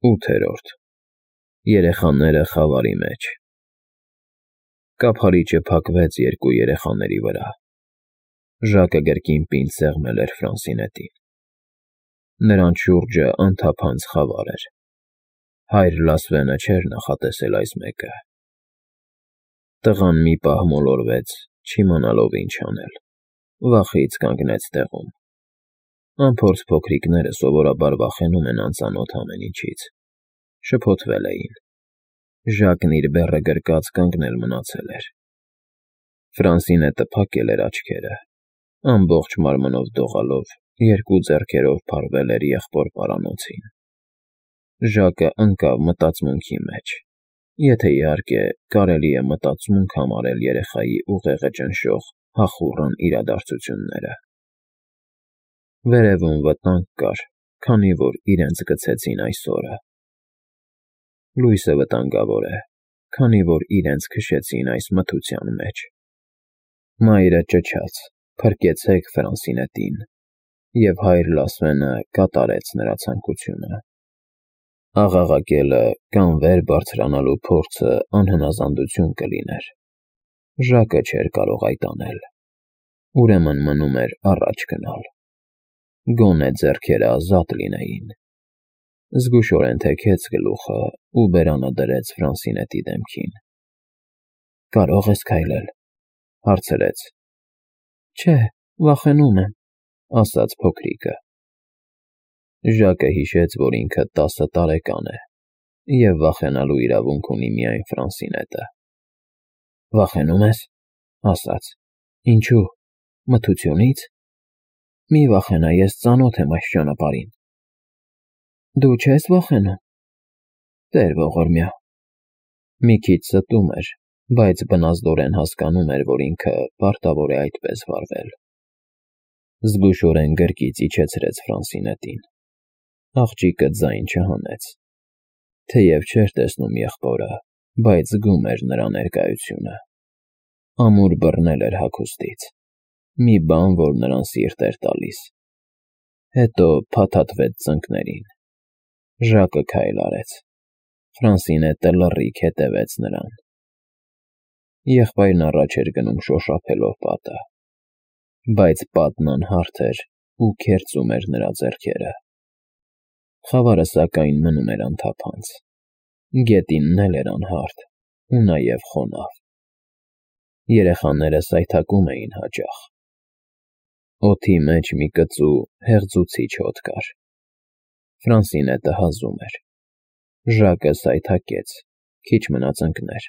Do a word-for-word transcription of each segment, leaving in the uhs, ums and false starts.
ութերորդ Երեխաները խավարի մեջ։ Կափարիչը փակվեց երկու երեխաների վրա։ Ժակը գրկին պինդ սեղմել էր Ֆրանսինետին։ Նրանց շուրջը անթափանց խավար էր։ Հայր Լասվենը չէր նախատեսել այս մեկը։ Տղան մի պահ մոլորվեց, չիմանալով ինչ անել, վախից կանգնեց տեղում։ Անփորձ փոքրիկները սովորաբար վախենում են անծանոթ ամեն ինչից։ Շփոթվել էին։ Ժակն իր բեռը գրկած կանգնել մնացել էր։ Ֆրանսինետը փակել էր աչքերը, ամբողջ մարմնով դողալով, երկու ձեռքերով փարվել էր եղբոր պարանոցին։ Ժակը ընկավ մտածմունքի մեջ, եթե իհարկե կարելի է մտածմունք համարել երեխայի ուղեղը ճնշող հախուռն իրադարձությունները։ Վերևում վտանգ կար, քանի որ իրենց գցեցին այս օրը։ Լույսը վտանգավոր է, քանի որ իրենց քշեցին այս մթության մեջ։ Մայրը ճչաց. «Փրկեցեք Ֆրանսինետին», և հայր Լասվենը կատարեց նրա ցանկությունը։ Աղաղակելը կամ վեր բարձրանալու փորձը անհնազանդություն կլիներ։ Ժակը չէր կարող այդ անել։ Ուրեմն մնում էր առաջ գնալ։ Գոնե ձեռքերը ազատ լինեին։ Զգուշորեն թեքեց գլուխը ու բերանը դրեց Ֆրանսինետի դեմքին։ «Կարո՞ղ ես քայլել», հարցրեց։ «Չէ, վախենում եմ», ասաց փոքրիկը։ Ժակը հիշեց, որ ինքը տասը տարեկան է, և վախենալու իրավունք ունի միայն Ֆրանսինետը։ «Վախենու՞մ ես», ասաց։ «Ինչու՞, մթությունի՞ց։ Մի վախենա, ես ծանոթ եմ այս ճանապարհին»։ «Դու չես վախենում»։ «Տեր ողորմյա»։ Մի քիչ ստում էր, բայց բնազդորեն հասկանում էր, որ ինքը պարտավոր է այդպես վարվել։ Զգուշորեն գրկից իջեցրեց Ֆրանսինետին։ Աղջիկը ձայն չհանեց։ Թեև չէր տեսնում եղբորը, բայց զգում էր նրա ներկայությունը։ Ամուր բռնել էր հագուստից։ Մի բան, որ նրան սիրտ էր տալիս։ Հետո փաթաթվեց ծնկներին։ Ժակը քայլ արեց։ Ֆրանսինետը լռիք հետևեց նրան։ Եղբայրն առաջ էր գնում շոշափելով պատը, բայց պատն անհարթ էր ու քերծում էր նրա ձեռքերը։ Խավարը սակայն մնում էր անթափանց։ Գետինն էլ էր անհարթ ու նաև խոնավ։ Երեխաները սայթաքում էին հաճախ։ Օդի մեջ մի կծու, հեղձուցիչ հոտ կար։ Ֆրանսինետը հազում էր։ Ժակը սայթաքեց, քիչ մնաց ընկներ,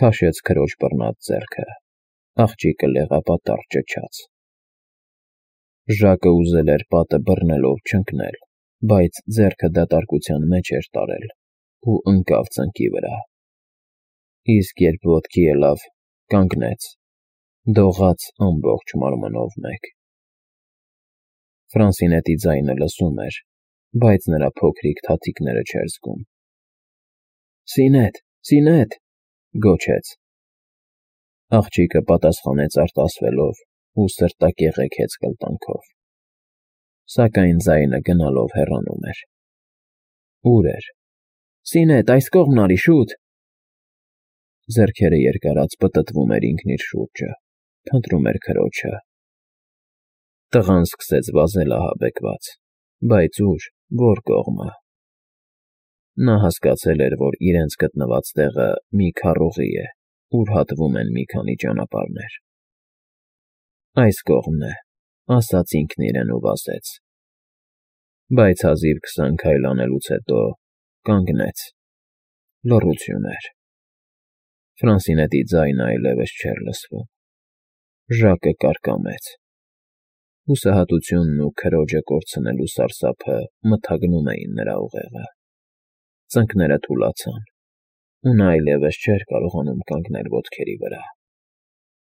քաշեց քրոջ բռնած ձեռքը։ Աղջիկը լեղապատառ ճչաց։ Ժակը ուզել էր պատը բռնելով չընկնել, բայց ձեռքը դատարկության մեջ էր տարել ու ընկավ ծնկի վրա։ Իսկ երբ ոտքի ելավ, կանգնեց, դողաց ամբողջ մարմնով մեկ։ Ֆրանսինետի ձայնը լսում էր, բայց նրա փոքրիկ թաթիկները չէր զգում։ «Սինետ, Սինետ», գոչեց։ Աղջիկը պատասխանեց արտասվելով ու սրտակեղեքեց կլտանքով։ Սակայն ձայնը գնալով հեռանում էր։ Ո՞ւր էր։ «Սինետ, այս կողմն արի, շուտ»։ Ձեռքերը երկարած պտտվում էր ինքն իր շուրջը, փնտրում էր քրոջը։ Տղան սկսեց վազել ահաբեկված, բայց ուր, որ կողմը։ Նա հասկացել էր, որ իրենց գտնված տեղը մի քառուղի է, ուր հատվում են մի քանի ճանապարհներ։ «Այս կողմն է», ասաց ինքն իրեն ու վազեց։ Բայց հազիվ քսան քայլ անելուց հետո կանգնեց։ Լռություն էր։ Ֆրանսինետի ձայնը այլևս չէր լսվում։ Ժակը կարկամեց։ Հուսահատությունն ու քրոջը կորցնելու սարսափը մթագնում էին նրա ուղեղը։ Ծնկները թուլացան, ու նա այլևս չէր կարողանում կանգնել ոտքերի վրա։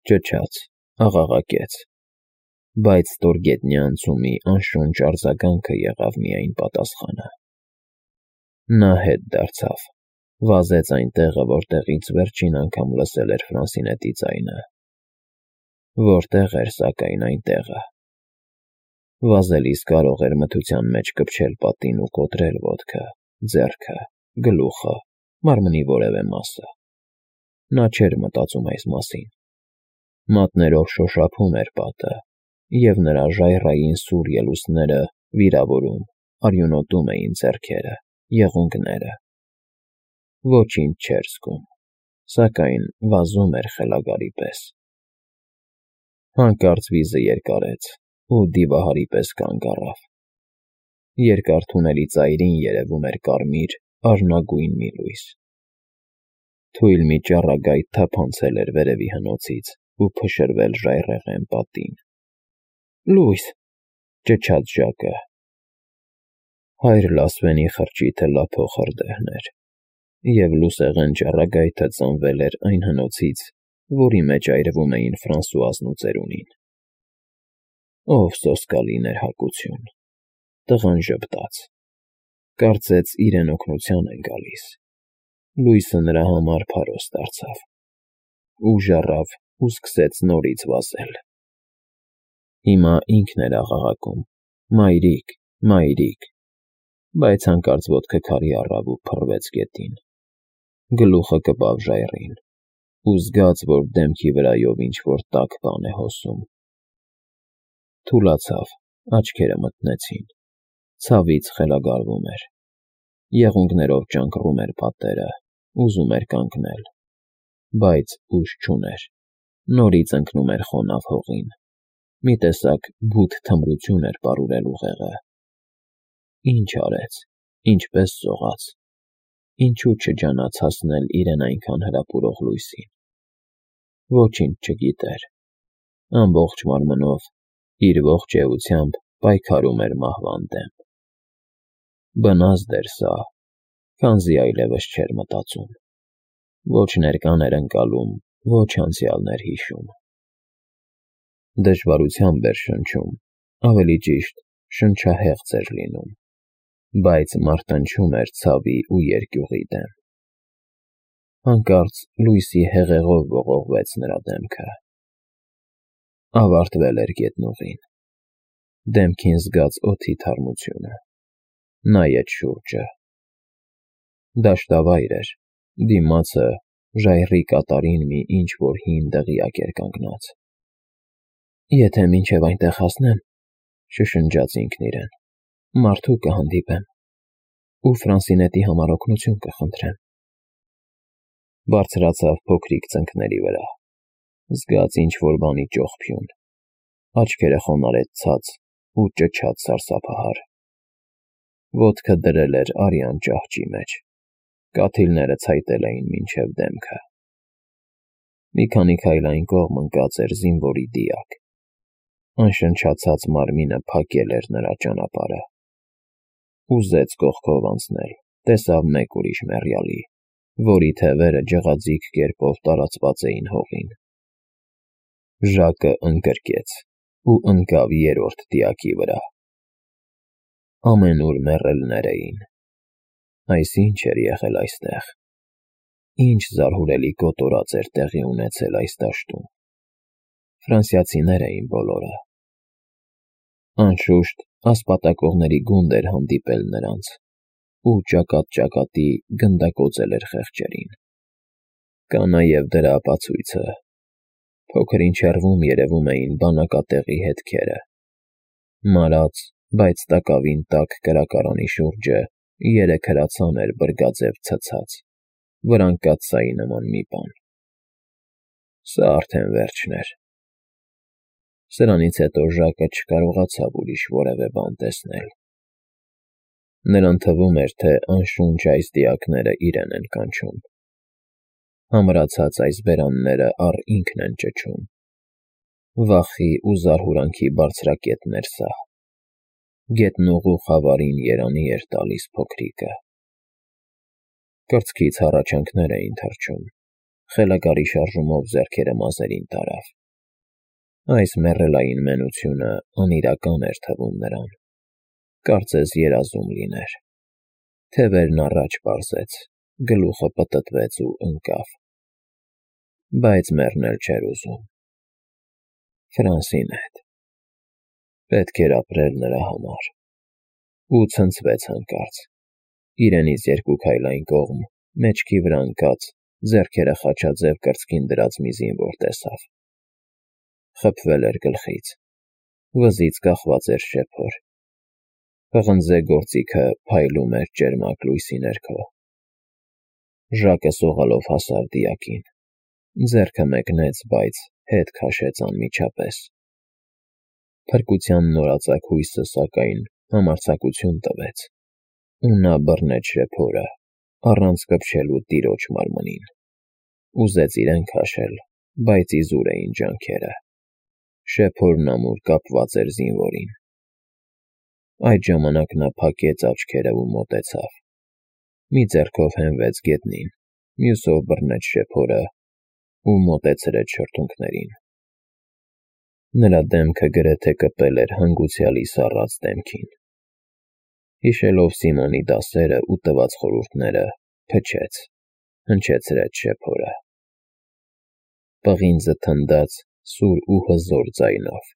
Ճչաց, աղաղակեց, բայց ստորգետնյա անցումի անշունչ արձագանքը եղավ միայն պատասխանը։ Նա հետ դարձավ, վազեց այն տեղը, որտեղից վերջին անգամ լսել էր Ֆրանսինետի ձայնը։ Որտեղ էր, սակայն, այն տեղը։ Վազելիս կարող էր մթության մեջ կպչել պատին ու կոտրել ոտքը, ձեռքը, գլուխը, մարմնի որևէ մասը։ Նա չէր մտածում այս մասին։ Մատներով շոշափում էր պատը, և նրա ժայռային սուր ելուստները վիրավորում, արյունոտում էին ձեռքերը, եղունգները։ Ոչինչ չէր զգում, սակայն վազում էր խելագարի պես։ Հանկարծ վիզը երկարեց ու դիվահարի պես կանգ առավ։ Երկար թունելի ծայրին երևում էր կարմիր, արհնագույն մի լույս։ Թույլ մի ճառագայթ թափանցել էր վերևի հնոցից ու փշրվել ժայռերն պատին։ «Լույս», ճչաց Ժակը։ Հայր Լասվենի խրճիթը լափող հրդեհն էր, և լուսեղեն ճառագայթը ծնվել էր այն հնոցից, որի մեջ այրվում էին Ֆրանսուազն ու ծերունին։ Ով սոսկալի ներհակություն։ Տղան ժպտաց։ Կարծեց իրեն օգնության են գալիս։ Լույսը նրա համար փարոս դարձավ։ Ուժ առավ ու սկսեց նորից վազել։ Հիմա ինքն էր աղաղակում. «Մայրիկ, մայրիկ», բայց հանկարծ ոտքը քարի առավ ու փռվեց գետին։ Գլուխը կպավ ժայռին ու զգաց, որ դեմքի վրայով ինչ-որ տաք բան է հոսում։ Թուլացավ, աչքերը մթնեցին։ Ցավից խելագարվում էր։ Եղունգներով ճանկռում էր պատերը, ուզում էր կանգնել, բայց ուժ չուներ։ Նորից ընկնում էր խոնավ հողին։ Մի տեսակ բութ թմրություն էր պարուրել ուղեղը։ Ինչ արեց, ինչպես սողաց, ինչու չջանաց հասնել իրեն այնքան հրապուրող լույսին։ Ոչինչ չգիտեր։ Ամբողջ մարմնով, իր ողջ էությամբ պայքարում էր մահվան դեմ։ Բնազդ էր սա, քանզի այլևս չէր մտածում։ Ոչ ներկան էր ընկալում, ոչ անցյալն էր հիշում։ Դժվարությամբ էր շնչում, ավելի ճիշտ, շնչահեղձ էր լինում, բայց մարտնչում էր ցավի ու երկյուղի դեմ։ Հանկարծ լույսի հեղեղով ողողվեց նրա դեմքը։ Ավարտվել էր գետնուղին։ Դեմքին զգաց օդի թարմությունը։ Նայեց շուրջը։ Դաշտավայր էր, դիմացը ժայռի կատարին մի ինչ֊որ հին դղյակ էր կանգնած։ «Եթե մինչև այնտեղ հասնեմ,» շշնջաց ինքն իրեն,֊ մարդու կհանդիպեմ ու Ֆրանսինետի համար օգնություն կխնդրեմ։ Բարձրացավ փոքրիկ ծնկների վրա։ Զգաց ինչ-որ բանի ճողփյուն։ Աչքերը խոնարհեց ցած ու ճչաց սարսափահար։ Ոտքը դրել էր արյան ճահճի մեջ։ Կաթիլները ցայտել էին մինչև դեմքը։ Մի քանի քայլ այն կողմ ընկած էր զինվորի դիակ։ Անշնչացած մարմինը փակել էր նրա ճանապարհը։ Ուզեց կողքով անցնել, տեսավ մեկ ուրիշ մեռյալի, որի թևերը ջղաձիգ կերպով տարածված էին հողին։ Ժակը ընկրկեց ու ընկավ երրորդ դիակի վրա։ Ամենուր մեռելներ էին։ Այս ի՞նչ էր եղել այստեղ։ Ինչ զարհուրելի կոտորած էր տեղի ունեցել այս դաշտում։ Ֆրանսիացիներ էին բոլորը։ Անշուշտ, ասպատակողների գունդ էր հանդիպել նրանց, ու ճակատ֊ճակատի գնդակոծել էր խեղճերին։ Կա նաև դրա ապացույցը։ Փոքր-ինչ հեռվում երևում էին բանակատեղի հետքերը։ Մարած, բայց տակավին տաք կրակարանի շուրջը երեք հրացան էր բրգաձև ցցած, վրան կաթսայի նման մի բան։ Սա արդեն վերջն էր։ Սրանից հետո Ժակը չկարողացավ ուրիշ որևէ բան տեսնել։ Նրան թվում էր, թե անշունչ այս դիակները իրեն են կանչում։ Համրացած այս բերանները առ ինքն են ճչում։ Վախի ու զարհուրանքի բարձրակետն էր սա։ Գետնուղու խավարին երանի էր տալիս փոքրիկը։ Կրծքից հառաչանքներ էին թռչում։ Խելագարի շարժումով ձեռքերը մազերին տարավ։ Այս մեռելային մենությունը անիրական էր թվում նրան։ Կարծես երազում լիներ։ Թևերն առաջ պարզեց, գլուխը պտտվեց ու ընկավ։ Բայց մեռնել չէր ուզում։ Ֆրանսինետ։ Պետք էր ապրել նրա համար։ Ու ցնցվեց հանկարծ։ իրենից երկու քայլ այն կողմ, մեջքի վրա ընկած, ձեռքերը խաչաձև կրծքին դրած մի զինվոր տեսավ։ Խփվել էր գլխից, վզից կախված էր շեփոր։ Պղնձե գործիքը փայլում էր ճերմակ լույսի ներքո։ Ժակը սողալով հասավ դիակին, ձեռքը մեկնեց, բայց հետ քաշեց անմիջապես։ Փրկության նորածակ հույսը, սակայն, համարձակություն տվեց, ու նա բռնեց շեփորը, առանց կպչելու տիրոջ մարմնին։ Ուզեց իրեն քաշել, բայց իզուր էին ջանքերը։ Շեփորն ամուր կապված էր զինվորին։ Այդ ժամանակ նա փակեց աչքերը ու մոտեցավ։ Մի ձեռքով հենվեց գետնին, մյուսով բռնեց շեփորը ու մոտեցրեց շրթունքներին։ Նրա դեմքը գրեթե կպել էր հանգուցյալի սառած դեմքին։ Հիշելով Սիմոնի դասերը ու տված խորհուրդները, փչեց, հնչեցրեց շեփորը։ Պղինձը թնդաց սուր ու հզոր ձայնով,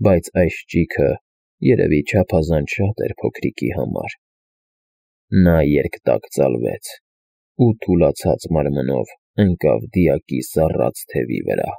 բայց այս ճիգը երևի չափազանց շատ էր փոքրիկի համար։ Նա երկտակ ծալվեց ու թուլացած մարմնով ընկավ դիակի սառած թևի վրա։